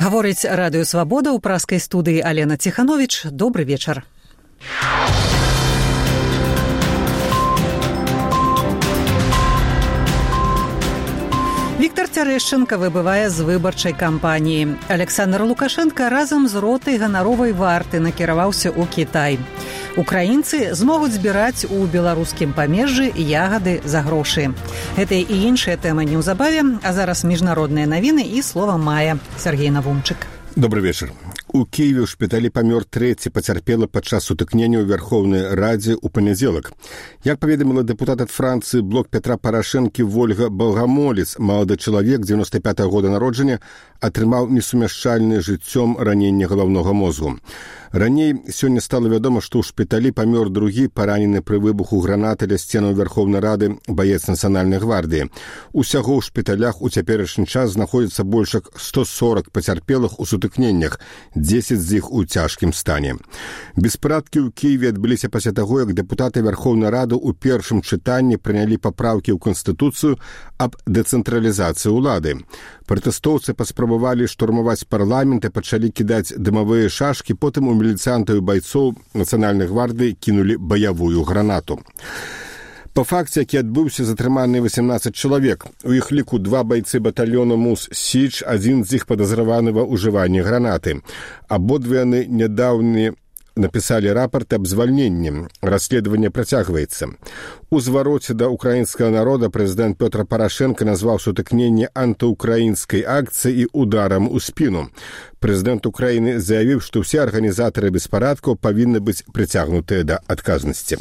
Гаворыць Радыё Свабода ў праскай студыі Алена Ціхановіч. Добры вечар. Віктор Цярэшчынка выбывае з выбарчай кампаніі. Александр Лукашенко разам з ротай ганаровай варты накіраваўся ў Кітай. Украінцы змогуць збіраць у беларускім памежжы ягады за грошы. Гэтыя і іншыя тэмы неўзабаве, а зараз міжнародныя навіны і слова мае. Сергей Навумчык. Добрый вечер. У Киеве ў шпіталі памёр трэці пацярпелы падчас сутыкнення ў Верховнай Радзе ў панядзелак. Як паведаміла дэпутат ад Францыі блок Петра Парашэнкі Вольга Балгамолец, малады чалавек 95-го года народжання атрымаў несумяшчальнае жыццём раненне галаўнога мозгу. Раней сёння стала вядома, што ў шпіталі памёр другі паранены пры выбуху гранаты ля сценаў Верховнай Рады баец Нацыянальнай гвардыі. Усяго ў шпіталях у цяперашні час знаходзіцца больш як 140 пацярпелых у сутыкненнях, 10 з іх у цяжкім стане. Беспарадкі ў Кіеве адбыліся пасля таго, як дэпутаты Верховнай Рады ў першым чытанні прынялі папраўкі ў Канстытуцыю аб дэцэнтралізацыі ўлады. Пратэстоўцы паспрабавалі штурмаваць парламент і пачалі кідаць дымавыя шашкі, потым у міліцыянтаў і байцоў Нацыянальнай гвардыі кінулі баявую гранату. Па факце, які адбыўся, затрыманы 18 чалавек. У іх ліку 2 байцы батальёна МУС-Січ, адзін з іх падазраваны ва ўжыванні гранаты. Абодва яны нядаўна напісалі рапарт аб звальненні. Расследаванне працягваецца. У звароце да украінскага народа прэзідэнт Пётр Парашэнка назваў сутыкненне антыукраінскай акцыі і ударам у спіну. Прэзідэнт Украіны заявіў, што ўсе арганізатары беспарадкаў павінны быць прыцягнутыя да адказнасці.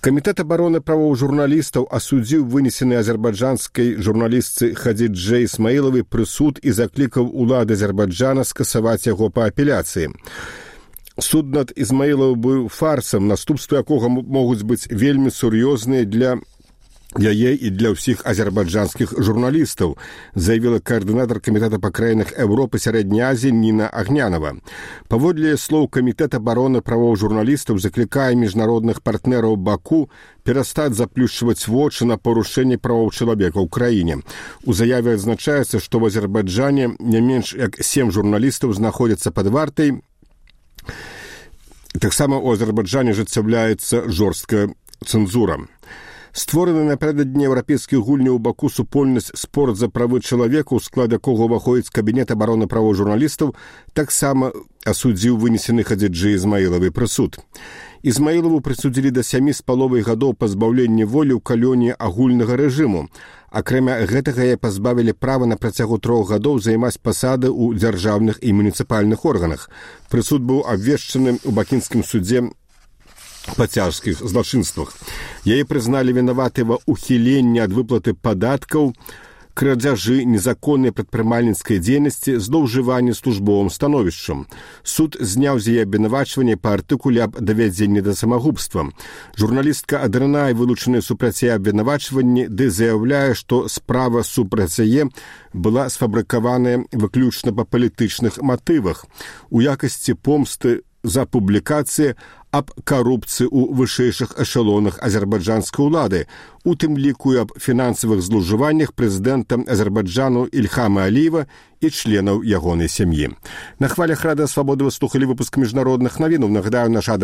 Камітэт абароны правоў журналістаў асудзіў вынесены азербайджанскай журналістцы Хадзіджэ Ісмаілавай прысуд і заклікаў улады Азербайджана скасаваць яго па апеляцыі. Суд над Ізмаілавым быў фарсам, наступствы якога могуць быць вельмі сур'ёзныя для яе і для ўсіх азербайджанскіх журналістаў, заявіла каардынатар камітэта па краінах Еўропы Сярэдняй Азіі Ніна Агнянова. Паводле слоў камітэт абароны правоў журналістаў заклікае міжнародных партнераў Баку перастаць заплюшчваць вочы на парушэнне правоў чалавека ў краіне. У заяве адзначаецца, што ў Азербайджане не менш як 7 журналістаў знаходзяцца пад вартай. Таксама ў Азербайджане ажыццяўляецца жорсткая цэнзура. Створаны напярэдадні еўрапейскіх гульняў у Баку супольнасць «Спорт за правы чалавека», у склад якога ўваходзіць кабінет абароны правоў журналістаў, таксама асудзіў вынесены Хадзіджэ Ісмаілавай прысуд. Ізмаілаву прысудзілі да 7,5 гадоў пазбаўлення волі ў калоніі агульнага рэжыму. Акрамя гэтага яе пазбавілі права на працягу 3 гадоў займаць пасады ў дзяржаўных і муніцыпальных органах. Прысуд быў абвешчаны ў бакінскім судзе па цяжкіх злачынствах. Яе прызналі вінаватай ва ўхіленні ад выплаты падаткаў, крадзяжы, незаконнай прадпрымальніцкай дзейнасці, злоўжыванні службовым становішчам. Суд зняў з яе абвінавачванне па артыкуле аб давядзенні да самагубства. Журналістка адрынае вылучаныя супраць яе абвінавачванні, ды заяўляе, што справа супраць яе была сфабрыкаваная выключна па палітычных матывах у якасці помсты за публікацыі аб карупцыі ў вышэйшых эшалонах азербайджанскай улады, у тым ліку і аб фінансавых злоўжываннях прэзідэнта Азербайджану Ільхама Аліева і членаў ягонай сям'і. На хвалях Радыё Свабода вы слухалі выпуск міжнародных навінаў. Нагадаю, наш адрес